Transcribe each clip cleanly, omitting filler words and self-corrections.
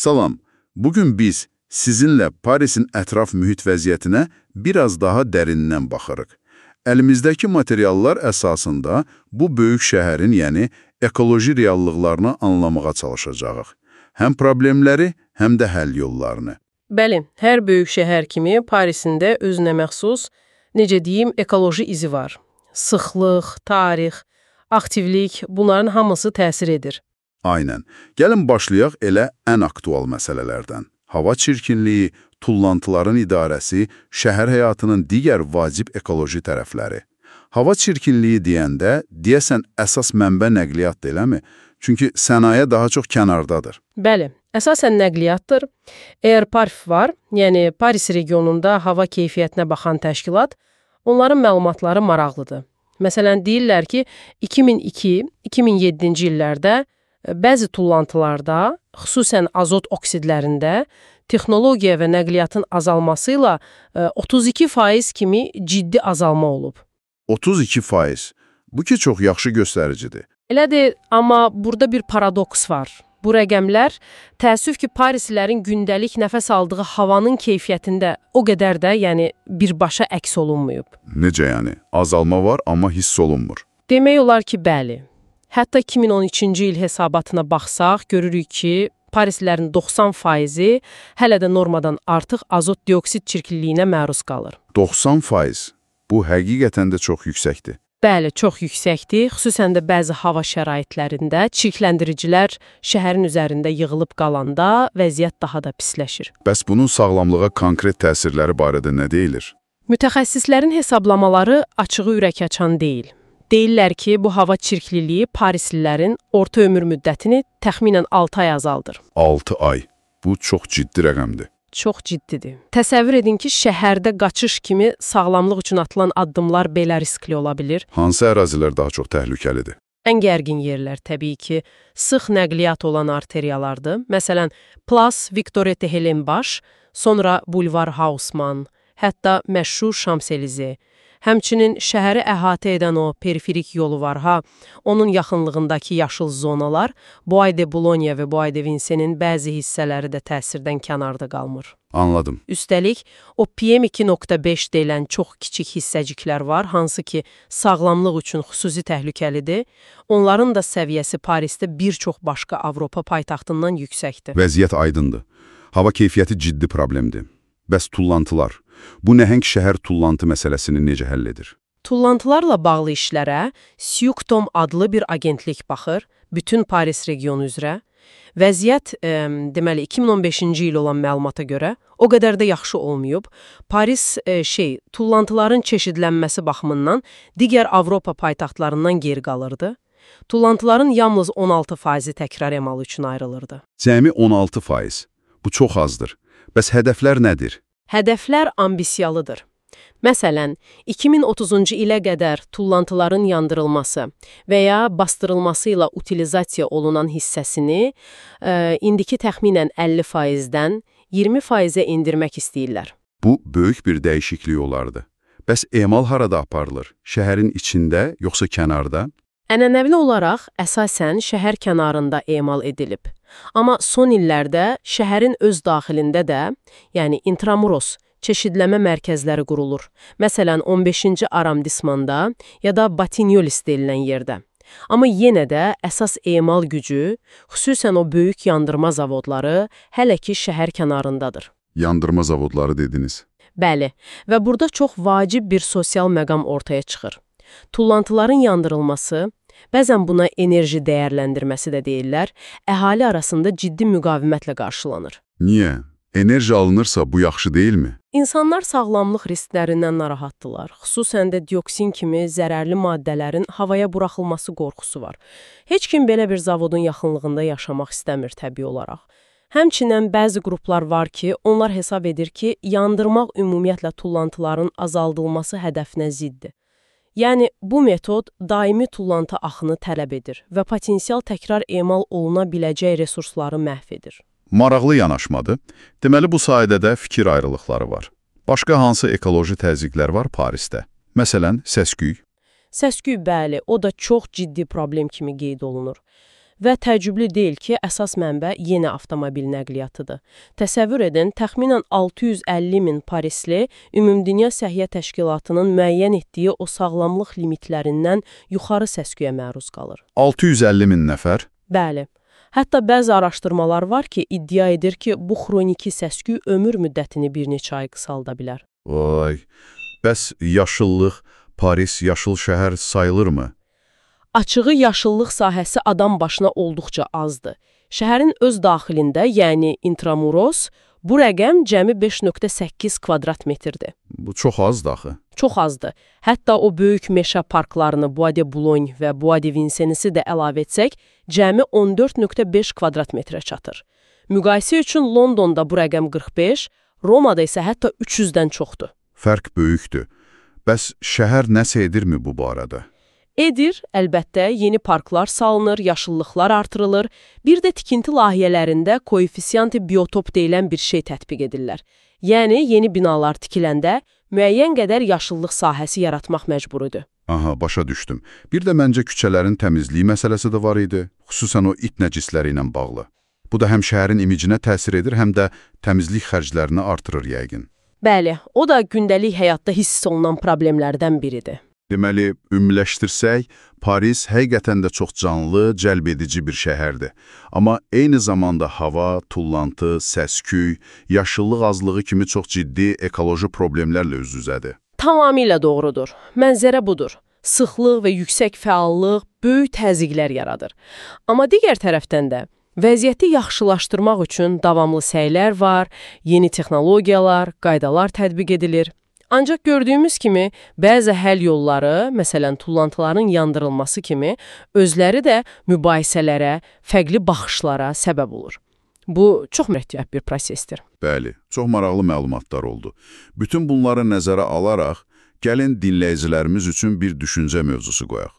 Salam, bugün biz sizinlə Parisin ətraf mühit vəziyyətinə biraz daha dərindən baxırıq. Əlimizdəki materiallar əsasında bu böyük şəhərin, yəni ekoloji reallıqlarını anlamağa çalışacağıq. Həm problemləri, həm də həll yollarını. Bəli, hər böyük şəhər kimi Parisində özünə məxsus, necə deyim, ekoloji izi var. Sıxlıq, tarix, aktivlik, bunların hamısı təsir edir. Aynən. Gəlin başlayaq elə ən aktual məsələlərdən. Hava çirkinliyi, tullantıların idarəsi, şəhər həyatının digər vacib ekoloji tərəfləri. Hava çirkinliyi deyəndə, deyəsən əsas mənbə nəqliyyatdır, eləmi? Çünki sənaye daha çox kənardadır. Bəli, əsasən nəqliyyatdır. Əgər PARF var, yəni Paris regionunda hava keyfiyyətinə baxan təşkilat, onların məlumatları maraqlıdır. Məsələn, deyirlər ki, 2002-2007-ci illərdə bəzi tullantılarda, xüsusən azot oksidlərində, texnologiya və nəqliyyatın azalması ilə 32% kimi ciddi azalma olub. 32%. Bu ki, çox yaxşı göstəricidir. Elədir, amma burada bir paradoks var. Bu rəqəmlər təəssüf ki, Parislilərin gündəlik nəfəs aldığı havanın keyfiyyətində o qədər də, yəni birbaşa əks olunmayıb. Necə yəni? Azalma var, amma hiss olunmur. Demək olar ki, bəli. Hətta 2013-cü il hesabatına baxsaq, görürük ki, Parislilərin 90%-i hələ də normadan artıq azot dioksid çirkinliyinə məruz qalır. 90%? Bu həqiqətən də çox yüksəkdir. Bəli, çox yüksəkdir. Xüsusən də bəzi hava şəraitlərində çirkləndiricilər şəhərin üzərində yığılıb qalanda vəziyyət daha da pisləşir. Bəs bunun sağlamlığa konkret təsirləri barədə nə deyilir? Mütəxəssislərin hesablamaları açığı ürək açan deyil. Deyirlər ki, bu hava çirkliliyi Parislilərin orta ömür müddətini təxminən 6 ay azaldır. 6 ay. Bu çox ciddi rəqəmdir. Çox ciddidir. Təsəvvür edin ki, şəhərdə qaçış kimi sağlamlıq üçün atılan addımlar belə riskli ola bilir. Hansı ərazilər daha çox təhlükəlidir? Ən gərgin yerlər təbii ki, sıx nəqliyyat olan arteriyalardır. Məsələn, Place Victor Tehelenbaş, sonra Bulvar Haussmann, hətta məşhur Şamselize. Həmçinin şəhəri əhatə edən o periferik yolu var ha, onun yaxınlığındakı yaşıl zonalar, Bois de Boulogne və Bois de Vincennes-in bəzi hissələri də təsirdən kənarda qalmır. Anladım. Üstəlik, o PM2.5 deyilən çox kiçik hissəciklər var, hansı ki, sağlamlıq üçün xüsusi təhlükəlidir. Onların da səviyyəsi Parisdə bir çox başqa Avropa paytaxtından yüksəkdir. Vəziyyət aydındır. Hava keyfiyyəti ciddi problemdir. Bəs tullantılar? Bu nəhəng şəhər tullantı məsələsini necə həll edir? Tullantılarla bağlı işlərə Syukdom adlı bir agentlik baxır, bütün Paris regionu üzrə. Vəziyyət, deməli, 2015-ci il olan məlumata görə o qədər də yaxşı olmayıb. Paris, tullantıların çeşidlənməsi baxımından digər Avropa paytaxtlarından geri qalırdı. Tullantıların yalnız 16%-i təkrar emal üçün ayrılırdı. Cəmi 16%. Bu çox azdır. Bəs hədəflər nədir? Hədəflər ambisiyalıdır. Məsələn, 2030-cu ilə qədər tullantıların yandırılması və ya bastırılması ilə utilizasiya olunan hissəsini indiki təxminən 50%-dən 20%-ə indirmək istəyirlər. Bu, böyük bir dəyişiklik olardı. Bəs emal harada aparılır? Şəhərin içində, yoxsa kənarda? Ənənəvli olaraq əsasən şəhər kənarında emal edilib. Amma son illərdə şəhərin öz daxilində də, yəni intramuros, çeşidləmə mərkəzləri qurulur. Məsələn, 15-ci arrondismanda ya da Batignolles deyilən yerdə. Amma yenə də əsas emal gücü, xüsusən o böyük yandırma zavodları hələ ki şəhər kənarındadır. Yandırma zavodları dediniz. Bəli, və burada çox vacib bir sosial məqam ortaya çıxır. Tullantıların yandırılması, bəzən buna enerji dəyərləndirməsi də deyirlər, əhali arasında ciddi müqavimətlə qarşılanır. Niyə? Enerji alınırsa bu yaxşı deyilmi? İnsanlar sağlamlıq risklərindən narahatdırlar. Xüsusən də dioksin kimi zərərli maddələrin havaya buraxılması qorxusu var. Heç kim belə bir zavodun yaxınlığında yaşamaq istəmir təbii olaraq. Həmçinin bəzi qruplar var ki, onlar hesab edir ki, yandırmaq ümumiyyətlə tullantıların azaldılması hədəfinə ziddir. Yəni, bu metod daimi tullantı axını tələb edir və potensial təkrar emal oluna biləcək resursları məhv edir. Maraqlı yanaşmadır. Deməli, bu sayədə də fikir ayrılıqları var. Başqa hansı ekoloji təzyiqlər var Parisdə? Məsələn, səs-küy. Səs-küy, bəli, o da çox ciddi problem kimi qeyd olunur. Və təəccüblü deyil ki, əsas mənbə yeni avtomobil nəqliyyatıdır. Təsəvvür edin, təxminən 650 min Parisli Ümumdünya Səhiyyə Təşkilatının müəyyən etdiyi o sağlamlıq limitlərindən yuxarı səs-küyə məruz qalır. 650 min nəfər? Bəli. Hətta bəzi araşdırmalar var ki, iddia edir ki, bu xroniki səs-küy ömür müddətini bir neçə ay qısalda bilər. Vay, bəs yaşıllıq, Paris yaşıl şəhər sayılırmı? Açığı yaşıllıq sahəsi adam başına olduqca azdır. Şəhərin öz daxilində, yəni intramuros, bu rəqəm cəmi 5,8 kvadrat metrdir. Bu çox azdır axı. Çox azdır. Hətta o böyük meşə parklarını Bois de Boulogne və Bois de Vincennes'i də əlavə etsək, cəmi 14,5 kvadrat metrə çatır. Müqayisə üçün Londonda bu rəqəm 45, Romada isə hətta 300-dən çoxdur. Fərq böyükdür. Bəs şəhər nəsə edirmi bu barədə? Edir, əlbəttə, yeni parklar salınır, yaşıllıqlar artırılır, bir də tikinti layihələrində koefisiyanti biotop deyilən bir şey tətbiq edirlər. Yəni, yeni binalar tikiləndə müəyyən qədər yaşıllıq sahəsi yaratmaq məcburidir. Aha, başa düşdüm. Bir də məncə küçələrin təmizliyi məsələsi də var idi, xüsusən o it nəcisləri ilə bağlı. Bu da həm şəhərin imicinə təsir edir, həm də təmizlik xərclərini artırır yəqin. Bəli, o da gündəlik həyatda hiss olunan problemlərdən biridir. Deməli, ümumiləşdirsək, Paris həqiqətən də çox canlı, cəlb edici bir şəhərdir. Amma eyni zamanda hava, tullantı, səs-küy, yaşıllıq azlığı kimi çox ciddi ekoloji problemlərlə üz-üzədir. Tamamilə doğrudur. Mənzərə budur. Sıxlıq və yüksək fəallıq böyük təzyiqlər yaradır. Amma digər tərəfdən də vəziyyəti yaxşılaşdırmaq üçün davamlı səylər var, yeni texnologiyalar, qaydalar tətbiq edilir. Ancaq gördüyümüz kimi, bəzi həll yolları, məsələn, tullantıların yandırılması kimi, özləri də mübahisələrə, fərqli baxışlara səbəb olur. Bu, çox mürəkkəb bir prosesdir. Bəli, çox maraqlı məlumatlar oldu. Bütün bunları nəzərə alaraq, gəlin dinləyicilərimiz üçün bir düşüncə mövzusu qoyaq.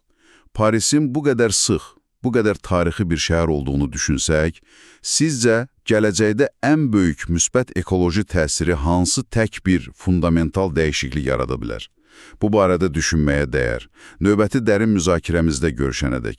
Parisin bu qədər sıx, bu qədər tarixi bir şəhər olduğunu düşünsək, sizcə gələcəkdə ən böyük müsbət ekoloji təsiri hansı tək bir fundamental dəyişiklik yarada bilər? Bu barədə düşünməyə dəyər. Növbəti dərin müzakirəmizdə görüşənədək.